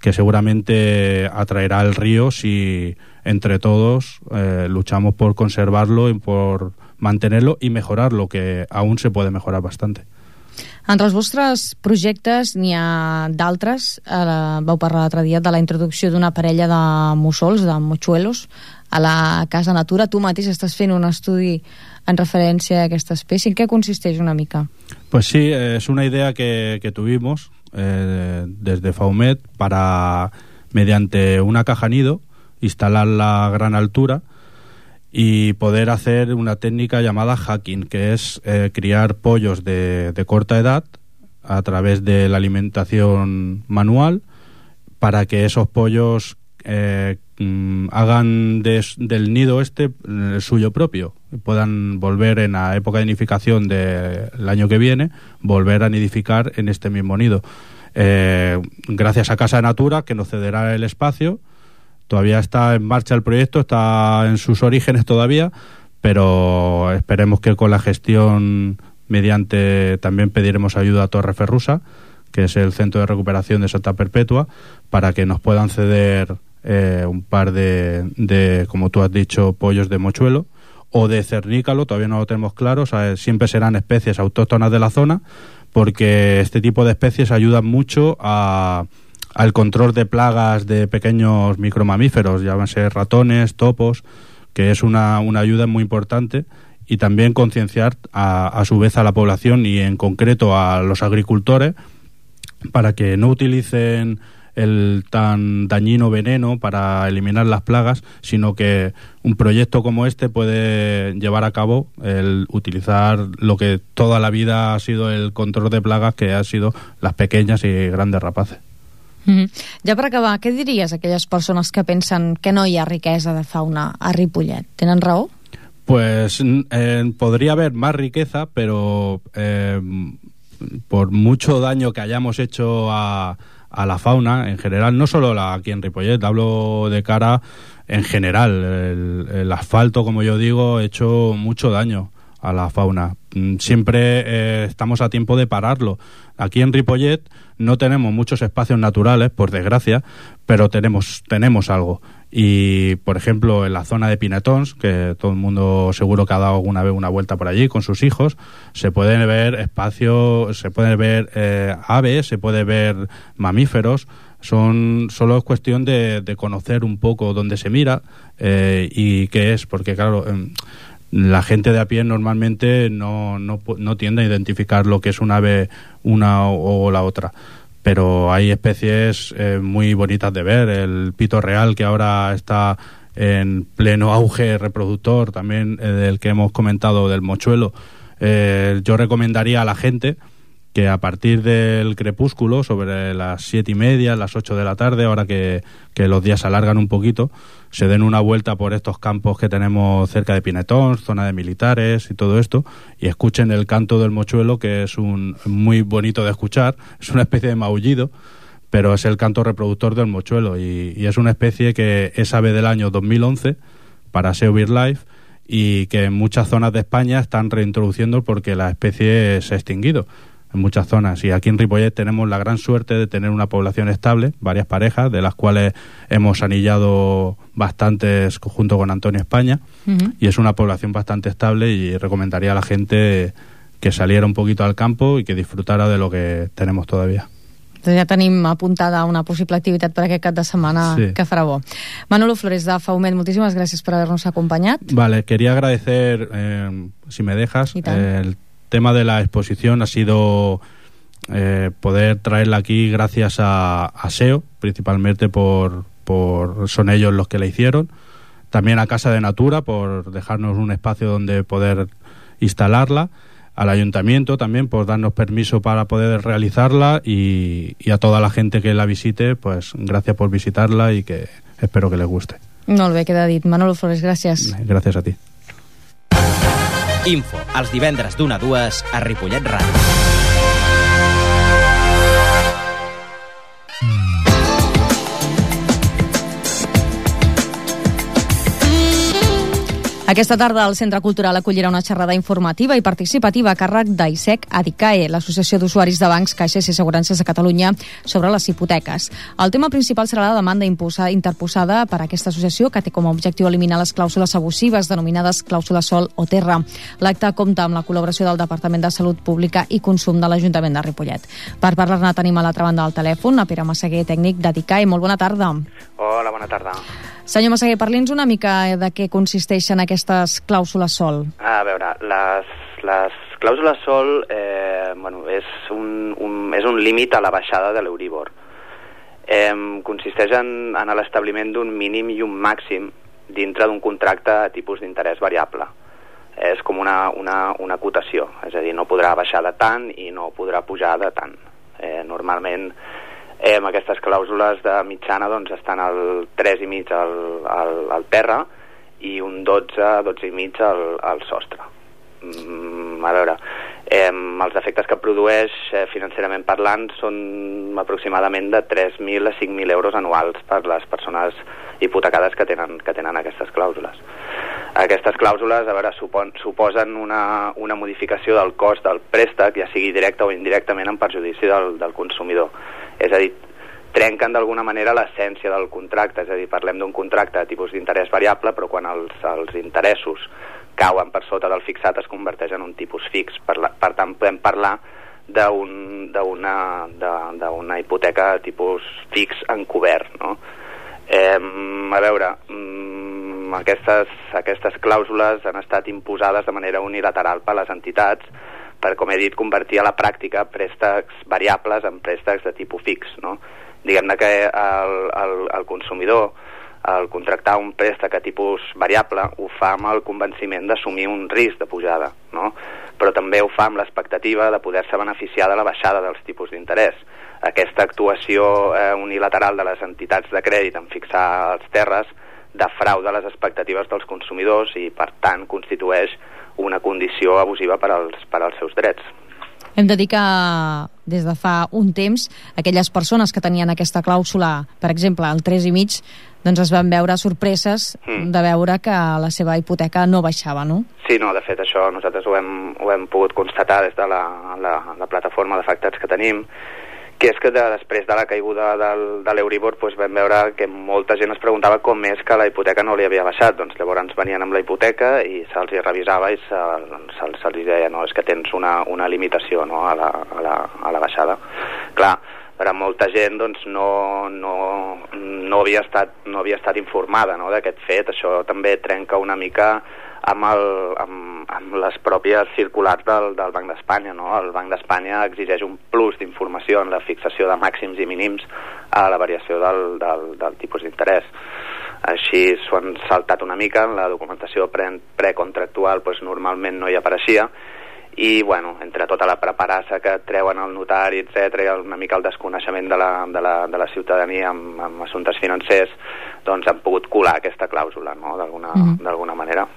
que seguramente atraerá el río si entre todos luchamos por conservarlo y por mantenerlo y mejorarlo, que aún se puede mejorar bastante. Entre els vostres projectes n'hi ha d'altres. Vau parlar l'altre dia de la introducció d'una parella de mussols, de mochuelos, a la Casa Natura. Tu mateix estàs fent un estudi en referència a aquesta espècie. En què consisteix una mica? Pues sí, es una idea que tuvimos desde FAUMET para, mediante una caja nido, instalarla a gran altura y poder hacer una técnica llamada hacking, que es criar pollos de corta edad a través de la alimentación manual, para que esos pollos hagan del nido el suyo propio, puedan volver en la época de nidificación del año que viene, volver a nidificar en este mismo nido. Gracias a Casa Natura, que nos cederá el espacio. Todavía está en marcha el proyecto, está en sus orígenes todavía, pero esperemos que con la gestión mediante, también pediremos ayuda a Torreferrusa, que es el Centro de Recuperación de Santa Perpetua, para que nos puedan ceder un par de, como tú has dicho, pollos de mochuelo o de cernícalo. Todavía no lo tenemos claro, o sea, siempre serán especies autóctonas de la zona, porque este tipo de especies ayudan mucho al control de plagas de pequeños micromamíferos, llámense ratones, topos, que es una ayuda muy importante, y también concienciar a su vez a la población y en concreto a los agricultores para que no utilicen el tan dañino veneno para eliminar las plagas, sino que un proyecto como este puede llevar a cabo el utilizar lo que toda la vida ha sido el control de plagas, que han sido las pequeñas y grandes rapaces. Ja per acabar, què diries a aquelles persones que pensen que no hi ha riquesa de fauna a Ripollet? Tenen raó? Pues podría haber más riqueza, pero por mucho daño que hayamos hecho a la fauna en general, no solo aquí en Ripollet, hablo de cara en general, el asfalto, como yo digo, ha hecho mucho daño a la fauna. Siempre estamos a tiempo de pararlo. Aquí en Ripollet no tenemos muchos espacios naturales, por desgracia, pero tenemos algo. Y, por ejemplo, en la zona de Pinetons, que todo el mundo seguro que ha dado alguna vez una vuelta por allí con sus hijos, se pueden ver espacios, se pueden ver aves, se puede ver mamíferos. Solo es cuestión de conocer un poco dónde se mira y qué es, porque claro, la gente de a pie normalmente no tiende a identificar lo que es un ave una o la otra, pero hay especies muy bonitas de ver. El pito real, que ahora está en pleno auge reproductor, también del que hemos comentado, del mochuelo. Yo recomendaría a la gente que a partir del crepúsculo, sobre las 7:30, las 8 de la tarde, ahora que los días se alargan un poquito, se den una vuelta por estos campos que tenemos cerca de Pinetons, zona de militares y todo esto, y escuchen el canto del mochuelo, que es muy bonito de escuchar. Es una especie de maullido, pero es el canto reproductor del mochuelo, y es una especie que es ave del año 2011 para SEO BirdLife, y que en muchas zonas de España están reintroduciendo porque la especie se ha extinguido en muchas zonas. Y aquí en Ripollet tenemos la gran suerte de tener una población estable, varias parejas, de las cuales hemos anillado bastantes junto con Antonio España, y es una población bastante estable, y recomendaría a la gente que saliera un poquito al campo y que disfrutara de lo que tenemos todavía. Ja tenim apuntada una possible activitat per aquest cap de setmana, sí, que farà bo. Manolo Flores, de FAUMET, moltíssimes gràcies per haver-nos acompanyat. Vale, quería agradecer, si me dejas, el tema de la exposición ha sido poder traerla aquí gracias a SEO, principalmente son ellos los que la hicieron, también a Casa de Natura por dejarnos un espacio donde poder instalarla, al ayuntamiento también por darnos permiso para poder realizarla y a toda la gente que la visite, pues gracias por visitarla y que espero que les guste. Molt bé, queda dit. Manolo Flores, gràcies. Gràcies a ti. Info, els divendres d'1 a 2 a Ripollet Ràdio. Aquesta tarda el Centre Cultural acollirà una xerrada informativa i participativa a càrrec d'AISEC ADICAE, l'Associació d'Usuaris de Bancs, Caixes i Assegurances de Catalunya, sobre les hipoteques. El tema principal serà la demanda interposada per aquesta associació, que té com a objectiu eliminar les clàusules abusives denominades clàusules sol o terra. L'acte compta amb la col·laboració del Departament de Salut Pública i Consum de l'Ajuntament de Ripollet. Per parlar-ne tenim a l'altra banda del telèfon a Pere Massaguer, tècnic d'ADICAE. Molt bona tarda. Hola, bona tarda. Senyor Massaguer, parli'ns una mica de què consisteixen aquestes clàusules sol. A veure, les clàusules sol és un límit a la baixada de l'Euribor. Consisteix en l'establiment d'un mínim i un màxim dintre d'un contracte a tipus d'interès variable. És com una cotació, és a dir, no podrà baixar de tant i no podrà pujar de tant. Normalment aquestes clàusules de mitjana doncs, estan al 3,5 al terra i un 12,5 al sostre. A veure, els efectes que produeix financerament parlant són aproximadament de 3.000 a 5.000 euros anuals per les persones hipotecades que tenen aquestes clàusules. Aquestes clàusules, a veure, suposen una modificació del cost del préstec, ja sigui directe o indirectament en perjudici del consumidor. És a dir, trenquen d'alguna manera l'essència del contracte, és a dir, parlem d'un contracte de tipus d'interès variable, però quan els interessos cauen per sota del fixat es converteix en un tipus fix. Per tant, podem parlar d'una hipoteca de tipus fix encobert, no? A veure, aquestes clàusules han estat imposades de manera unilateral per les entitats per, com he dit, convertir a la pràctica préstecs variables en préstecs de tipus fix, no? Diguem-ne que el consumidor, al contractar un préstec a tipus variable, ho fa amb el convenciment d'assumir un risc de pujada, no? Però també ho fa amb l'expectativa de poder-se beneficiar de la baixada dels tipus d'interès. Aquesta actuació unilateral de les entitats de crèdit en fixar els terres defrauda les expectatives dels consumidors i, per tant, constitueix una condició abusiva per als seus drets. Hem de dir que des de fa un temps aquelles persones que tenien aquesta clàusula, per exemple, al 3,5, doncs es van veure sorpreses de veure que la seva hipoteca no baixava, no? Sí, no, de fet això nosaltres ho hem pogut constatar des de la plataforma d'afectats que tenim, que és que després de la caiguda de l'Euribor vam veure que molta gent es preguntava com és que la hipoteca no li havia baixat. Doncs llavors venien amb la hipoteca i se'ls revisava i se'ls deia, no, és que tens una limitació, no, a la baixada. Clar, per a molta gent doncs, no havia estat informada, no, d'aquest fet. Això també trenca una mica amb les pròpies circulars del Banc d'Espanya, no? El Banc d'Espanya exigeix un plus d'informació en la fixació de màxims i mínims a la variació del tipus d'interès. Així s'ho han saltat una mica, en la documentació precontractual normalment no hi apareixia, i bueno, entre tota la preparassa que treuen al notari, etc, i una mica el desconeixement de la ciutadania amb assumptes financers, doncs han pogut colar aquesta clàusula, no? D'alguna manera.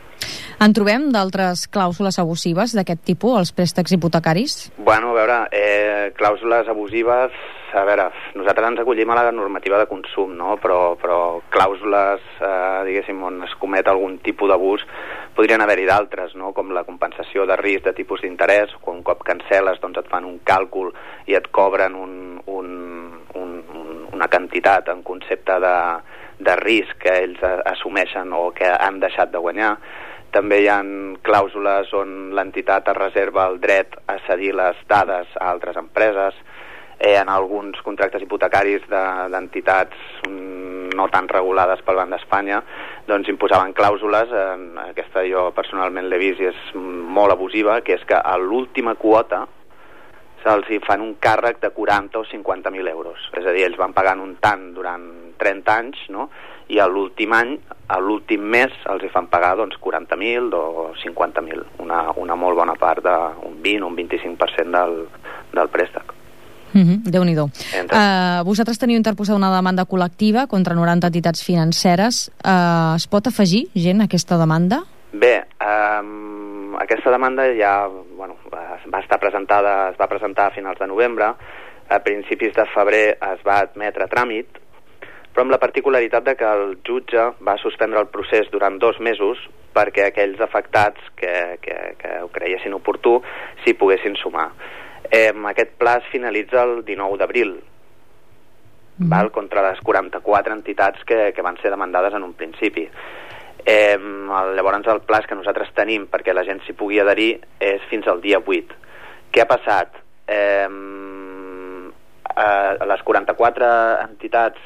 En trobem d'altres clàusules abusives d'aquest tipus, els préstecs hipotecaris? Bueno, a veure, clàusules abusives, a veure, nosaltres ens acollim a la normativa de consum, no? Però clàusules, diguéssim, on es comet algun tipus d'abús, podrien haver-hi d'altres, no? Com la compensació de risc de tipus d'interès, quan un cop cancel·les doncs et fan un càlcul i et cobren una quantitat en concepte de risc que ells assumeixen o que han deixat de guanyar. També hi ha clàusules on l'entitat es reserva el dret a cedir les dades a altres empreses. En alguns contractes hipotecaris d'entitats no tan regulades pel Banc d'Espanya, doncs imposaven clàusules, aquesta jo personalment l'he vist i és molt abusiva, que és que a l'última quota se'ls fan un càrrec de 40 o 50.000 euros. És a dir, ells van pagant un tant durant 30 anys, no? I a l'últim any, a l'últim mes, els hi fan pagar 40.000 o 50.000, una molt bona part d'un 20 o un 25% del préstec. Déu-n'hi-do. Vosaltres teniu interposada una demanda col·lectiva contra 90 entitats financeres. Es pot afegir gent a aquesta demanda? Bé, aquesta demanda ja es va presentar a finals de novembre, a principis de febrer es va admetre a tràmit, però amb la particularitat de que el jutge va suspendre el procés durant 2 mesos perquè aquells afectats que ho creiessin oportú s'hi poguessin sumar. Aquest pla es finalitza el 19 d'abril, contra les 44 entitats que van ser demandades en un principi. Llavors el pla que nosaltres tenim perquè la gent s'hi pugui adherir és fins al dia 8. Què ha passat? Les 44 entitats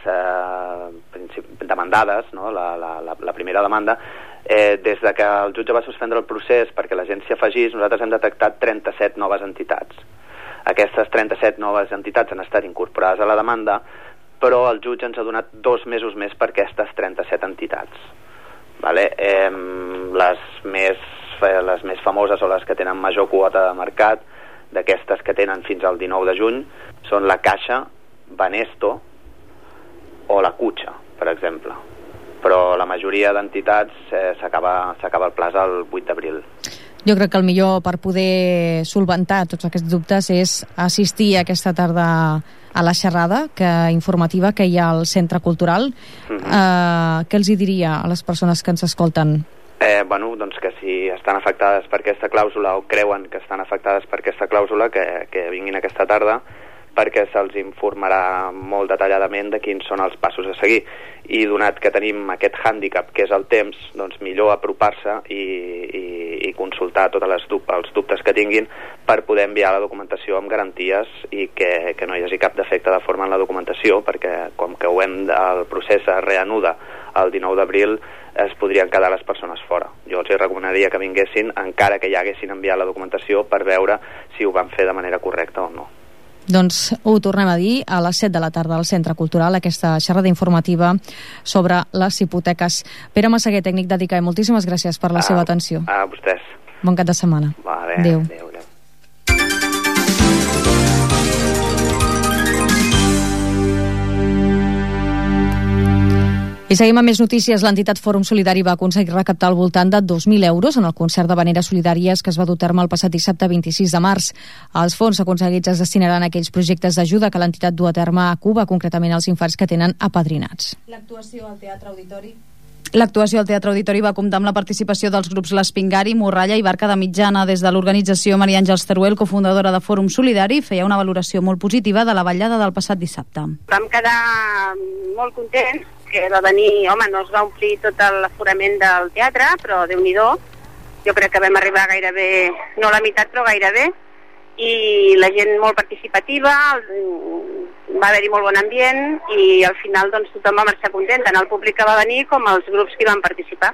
demandades, no? la primera demanda, des de que el jutge va suspendre el procés perquè la gent s'hi afegís, nosaltres hem detectat 37 noves entitats. Aquestes 37 noves entitats han estat incorporades a la demanda, però el jutge ens ha donat 2 mesos més per aquestes 37 entitats. Vale? Les més famoses o les que tenen major quota de mercat, d'aquestes que tenen fins al 19 de juny, són la Caixa, Banesto o la Cutxa, per exemple. Però la majoria d'entitats s'acaba el plaç el 8 d'abril. Jo crec que el millor per poder solventar tots aquests dubtes és assistir aquesta tarda a la xerrada informativa que hi ha al Centre Cultural. Què els diria a les persones que ens escolten? Doncs que si estan afectades per aquesta clàusula o creuen que estan afectades per aquesta clàusula, que vinguin aquesta tarda, perquè se'ls informarà molt detalladament de quins són els passos a seguir. I donat que tenim aquest hàndicap, que és el temps, doncs millor apropar-se i consultar tots els dubtes que tinguin per poder enviar la documentació amb garanties i que no hi hagi cap defecte de forma en la documentació, perquè com que el procés es reanuda el 19 d'abril, es podrien quedar les persones fora. Jo els recomanaria que vinguessin encara que ja haguessin enviat la documentació per veure si ho van fer de manera correcta o no. Doncs ho tornem a dir a les 7 de la tarda al Centre Cultural, aquesta xerrada informativa sobre les hipoteques. Pere Massaguer, tècnic d'Edicae, moltíssimes gràcies per la seva atenció. A vostès. Bon cap de setmana. Vale, adéu. I seguim amb més notícies. L'entitat Fòrum Solidari va aconseguir recaptar al voltant de 2.000 euros en el concert d'havaneres solidàries que es va dur a terme el passat dissabte 26 de març. Els fons aconseguits es destinaran a aquells projectes d'ajuda que l'entitat du a terme a Cuba, concretament als infants que tenen apadrinats. L'actuació al Teatre Auditori va comptar amb la participació dels grups l'Espingari, Morralla i Barca de Mitjana. Des de l'organització, Maria Àngels Teruel, cofundadora de Fòrum Solidari, feia una valoració molt positiva de la ballada del passat dissabte. Vam quedar molt contents, que va venir, no es va omplir tot l'aforament del teatre, però Déu-n'hi-do, jo crec que vam arribar gairebé, no a la meitat, però gairebé, i la gent molt participativa, va haver-hi molt bon ambient i al final doncs tothom va marxar content, tant el públic que va venir com els grups que hi van participar.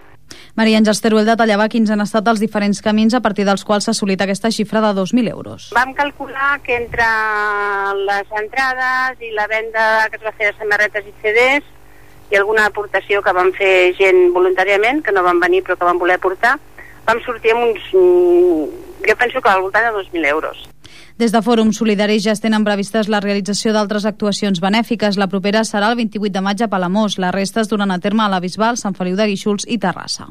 Maria Àngels Teruel detallava quins han estat els diferents camins a partir dels quals s'ha assolit aquesta xifra de 2.000 euros. Vam calcular que entre les entrades i la venda que es va fer de samarretes i CDs i alguna aportació que van fer gent voluntàriament, que no van venir però que van voler aportar, vam sortir amb uns, jo penso que al voltant de 2.000 euros. Des de Fòrum Solidari ja es tenen previstes la realització d'altres actuacions benèfiques. La propera serà el 28 de maig a Palamós. La resta es duran a terme a la Bisbal, Sant Feliu de Guíxols i Terrassa.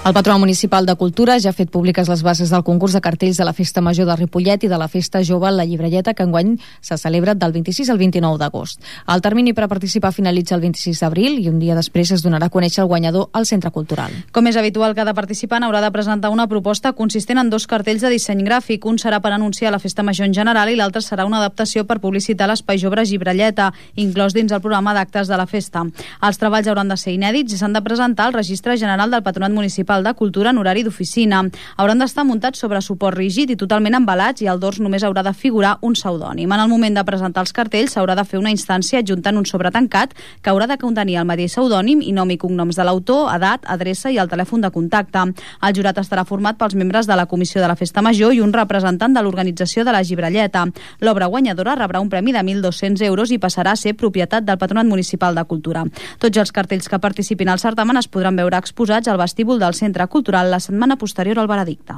El Patronat Municipal de Cultura ja ha fet públiques les bases del concurs de cartells de la Festa Major de Ripollet i de la Festa Jove La Llibrelleta, que enguany se celebra del 26 al 29 d'agost. El termini per a participar finalitza el 26 d'abril i un dia després es donarà a conèixer el guanyador al Centre Cultural. Com és habitual, cada participant haurà de presentar una proposta consistent en 2 cartells de disseny gràfic. Un serà per anunciar la Festa Major en general i l'altre serà una adaptació per publicitar l'Espai Jove Llibrelleta, inclòs dins el programa d'actes de la festa. Els treballs hauran de ser inèdits i s'han de presentar al Registre General del Patronat Municipal Municipal de Cultura en horari d'oficina. Hauran d'estar muntats sobre suport rígid i totalment embalats i al dors només haurà de figurar un pseudònim. En el moment de presentar els cartells s'haurà de fer una instància adjuntant un sobre tancat que haurà de contenir el mateix pseudònim i nom i cognoms de l'autor, edat, adreça i el telèfon de contacte. El jurat estarà format pels membres de la Comissió de la Festa Major i un representant de l'organització de la Gibralleta. L'obra guanyadora rebrà un premi de 1.200 euros i passarà a ser propietat del Patronat Municipal de Cultura. Tots els cartells que participin al certamen es podran veure exposats al vestíbul del Centre Cultural la setmana posterior al veredicte.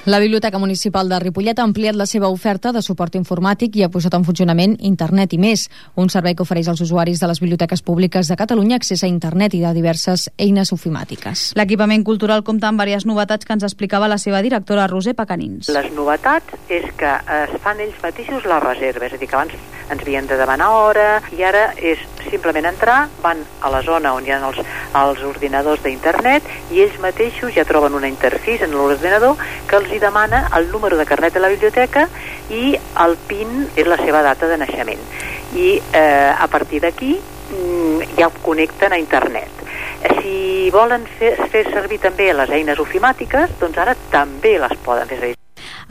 La Biblioteca Municipal de Ripollet ha ampliat la seva oferta de suport informàtic i ha posat en funcionament Internet i més, un servei que ofereix als usuaris de les biblioteques públiques de Catalunya accés a Internet i de diverses eines ofimàtiques. L'equipament cultural compta amb diverses novetats que ens explicava la seva directora Roser Pacanins. Les novetats és que es fan ells mateixos la reserva, és a dir, que abans ens havien de demanar hora i ara és simplement entrar, van a la zona on hi ha els ordinadors d'Internet i ells mateixos ja troben una interfície en l'ordinador que els hi demana el número de carnet de la biblioteca i el PIN és la seva data de naixement. I a partir d'aquí ja ho connecten a Internet. Si volen fer servir també les eines ofimàtiques, doncs ara també les poden fer servir.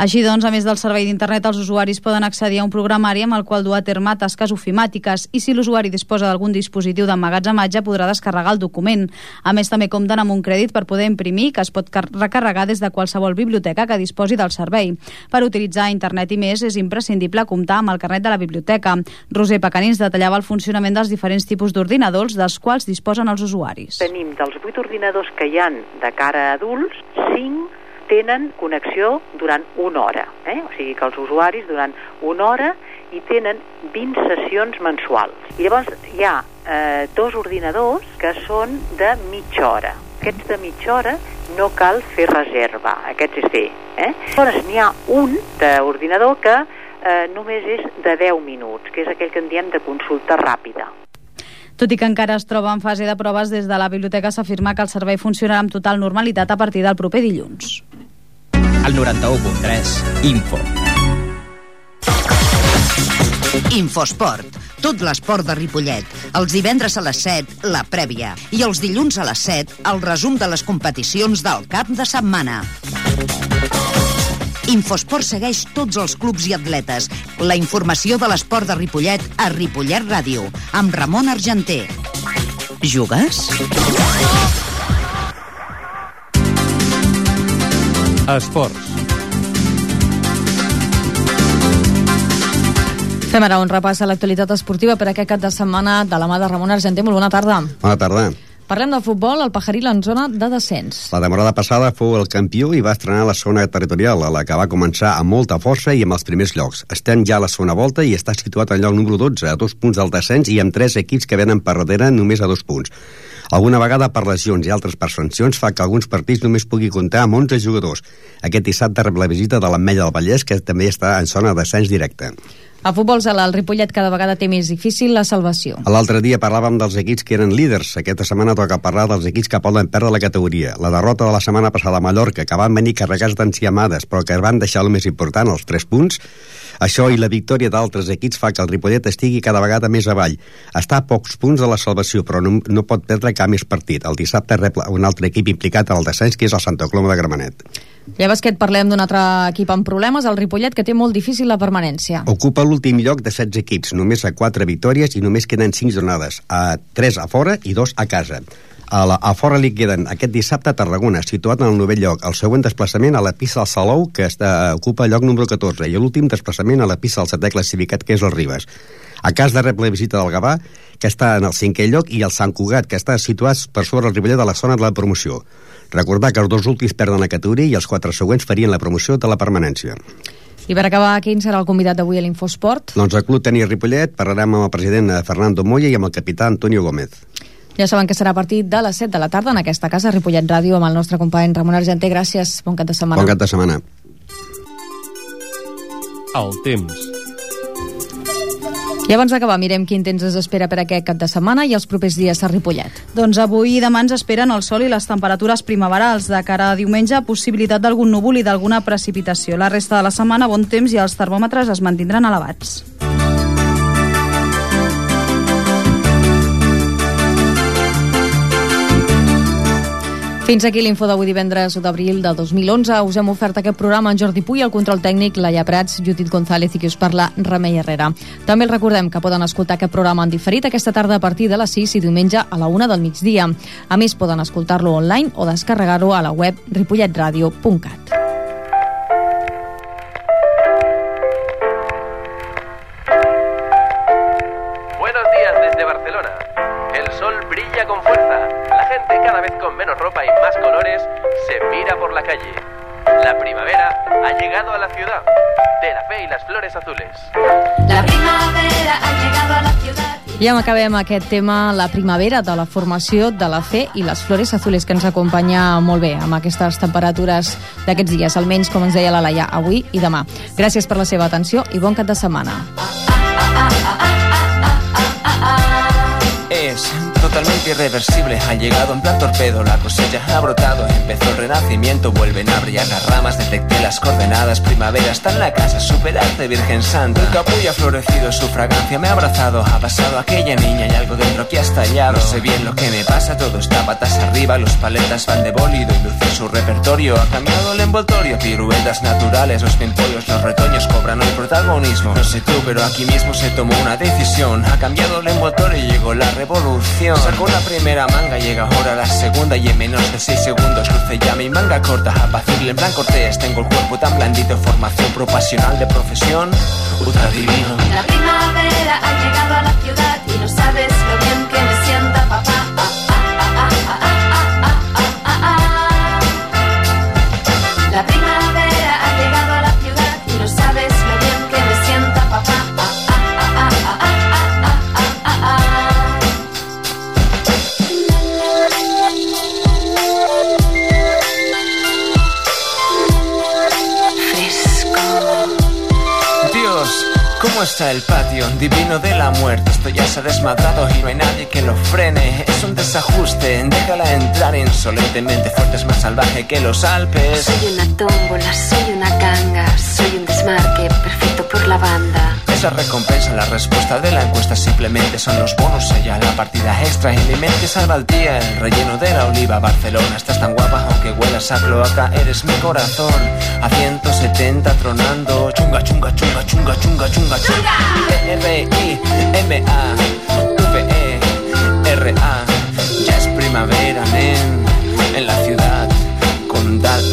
Així doncs, a més del servei d'internet, els usuaris poden accedir a un programari amb el qual dur a terme tasques ofimàtiques i si l'usuari disposa d'algun dispositiu d'emmagatzematge podrà descarregar el document. A més, també compten amb un crèdit per poder imprimir que es pot recarregar des de qualsevol biblioteca que disposi del servei. Per utilitzar internet i més és imprescindible comptar amb el carnet de la biblioteca. Roser Pacanins detallava el funcionament dels diferents tipus d'ordinadors dels quals disposen els usuaris. Tenim dels 8 ordinadors que hi ha de cara a adults, 5 tenen connexió durant 1 hora. O sigui que els usuaris durant 1 hora hi tenen 20 sessions mensuals. I llavors hi ha 2 ordinadors que són de mitja hora. Aquests de mitja hora no cal fer reserva, aquests és fer. Llavors n'hi ha un d'ordinador que només és de 10 minuts, que és aquell que en diem de consulta ràpida. Tot i que encara es troba en fase de proves, des de la biblioteca s'afirma que el servei funcionarà amb total normalitat a partir del proper dilluns. Al 91.3, Info. Infosport. Tot l'esport de Ripollet. Els divendres a les 7, la prèvia. I els dilluns a les 7, el resum de les competicions del cap de setmana. Infosport segueix tots els clubs i atletes. La informació de l'esport de Ripollet a Ripollet Ràdio, amb Ramon Argenter. Jugues? Esports. Fem ara un repàs a l'actualitat esportiva per aquest cap de setmana de la mà de Ramon Argenter. Molt bona tarda. Bona tarda. Parlem de futbol, el Pajaril en zona de descens. La temporada passada fou el campió i va estrenar la segona territorial, a la que va començar amb molta força i amb els primers llocs. Estem ja a la segona volta i està situat al lloc número 12, a 2 punts del descens i amb 3 equips que venen per darrere només a 2 punts. Alguna vegada per lesions i altres per sancions fa que alguns partits només pugui comptar amb 11 jugadors. Aquest dissabte rep la visita de l'Ametlla del Vallès, que també està en zona de descens directe. A futbol sala, el Ripollet cada vegada té més difícil la salvació. L'altre dia parlàvem dels equips que eren líders. Aquesta setmana toca parlar dels equips que poden perdre la categoria. La derrota de la setmana passada a Mallorca, que van venir carregats d'enciamades, però que van deixar el més important, els 3 punts. Això i la victòria d'altres equips fa que el Ripollet estigui cada vegada més avall. Està a pocs punts de la salvació, però no pot perdre cap més partit. El dissabte rep un altre equip implicat en el descens, que és el Santa Coloma de Gramenet. I a bàsquet parlem d'un altre equip amb problemes, el Ripollet, que té molt difícil la permanència. Ocupa l'últim lloc de 16 equips, només a 4 victòries i només queden 5 jornades, a 3 a fora i 2 a casa. A fora li queden aquest dissabte a Tarragona, situat en el 9è lloc. El següent desplaçament a la pista del Salou, que ocupa el lloc número 14, i l'últim desplaçament a la pista del 7è classificat, que és el Ribes. A cas de rep la visita del Gavà, que està en el 5è lloc, i el Sant Cugat, que està situat per sobre el Ripollet de la zona de la promoció. Recordar que els 2 últims perden la categoria i els 4 següents farien la promoció de la permanència. I per acabar, quin serà el convidat d'avui a l'Infosport? Doncs al Club Tenis Ripollet parlarem amb el president Fernando Moya i amb el capità Antonio Gómez. Ja saben que serà a partir de les 7 de la tarda en aquesta casa, Ripollet Ràdio, amb el nostre company Ramon Argenter. Gràcies, bon cap de setmana. Bon cap de setmana. El temps. I abans d'acabar, mirem quin temps ens espera per aquest cap de setmana i els propers dies a Ripollet. Doncs avui i demà ens esperen el sol i les temperatures primaverals. De cara a diumenge, possibilitat d'algun núvol i d'alguna precipitació. La resta de la setmana, bon temps i els termòmetres es mantindran elevats. Fins aquí l'info d'avui divendres 1 d'abril de 2011. Us hem ofert aquest programa en Jordi Puy, el control tècnic, Laia Prats, Judit González i qui us parla, Remei Herrera. També els recordem que poden escoltar aquest programa en diferit aquesta tarda a partir de les 6 i diumenge a la 1 del migdia. A més, poden escoltar-lo online o descarregar-ho a la web ripolletradio.cat. Buenos días desde Barcelona. El sol brilla con fuerza. La gente, cada vez con menos ropa y más colores, se mira por la calle. La primavera ha llegado a la ciudad. De la fe y las flores azules. La primavera ha llegado a la ciudad. I ja acabem aquest tema, la primavera, de la formació de la fe i les flores azules, que ens acompanya molt bé amb aquestes temperatures d'aquests dies, almenys com ens deia la Laia, avui i demà. Gràcies per la seva atenció i bon cap de setmana. Es totalmente irreversible, ha llegado en plan torpedo, la cosecha ha brotado, empezó el renacimiento, vuelven a brillar las ramas, detecté las coordenadas, primavera está en la casa, superarte Virgen Santa. El capullo ha florecido, su fragancia me ha abrazado, ha pasado aquella niña y algo dentro que ha estallado. No sé bien lo que me pasa, todo está patas arriba, los paletas van de bólido y luce su repertorio, ha cambiado el envoltorio, piruetas naturales, los pimpollos, los retoños cobran el protagonismo. No sé tú, pero aquí mismo se tomó una decisión, ha cambiado el envoltorio y llegó la revolución. Sacó la primera manga, llega ahora la segunda y en menos de 6 segundos luce ya mi manga corta, apacible en plan cortés, tengo el cuerpo tan blandito, formación propasional de profesión, ultra divino. La primavera ha llegado a la ciudad y no sabes lo bien que me sienta, papá. La primavera ha llegado a la ciudad y no sabes lo bien que me sienta, papá. ¿Cómo está el patio? Divino de la muerte. Esto ya se ha desmadrado y no hay nadie que lo frene. Es un desajuste, déjala entrar insolentemente. Fuerte, es más salvaje que los Alpes. Soy una tómbola, soy una ganga, soy un desmarque perfecto por la banda. Esa recompensa, la respuesta de la encuesta simplemente son los bonus. Ella, la partida extra en mi mente salva el día. El relleno de la oliva, Barcelona. Estás tan guapa aunque huelas a cloaca. Eres mi corazón, a 170 tronando. Chunga, chunga, chunga, chunga, chunga, chunga, chunga. R-I-M-A-V-E-R-A. Ya es primavera, nen, en la ciudad condal.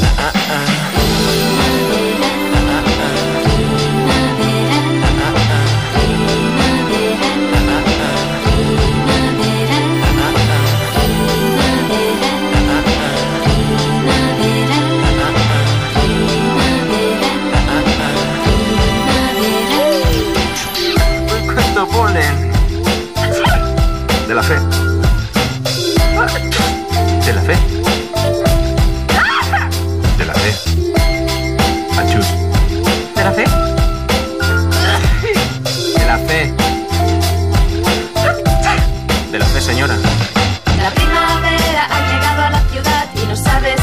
Polen de la fe, de la fe, de la fe, achus, de la fe, de la fe, de la fe, señora. La primavera ha llegado a la ciudad y no sabes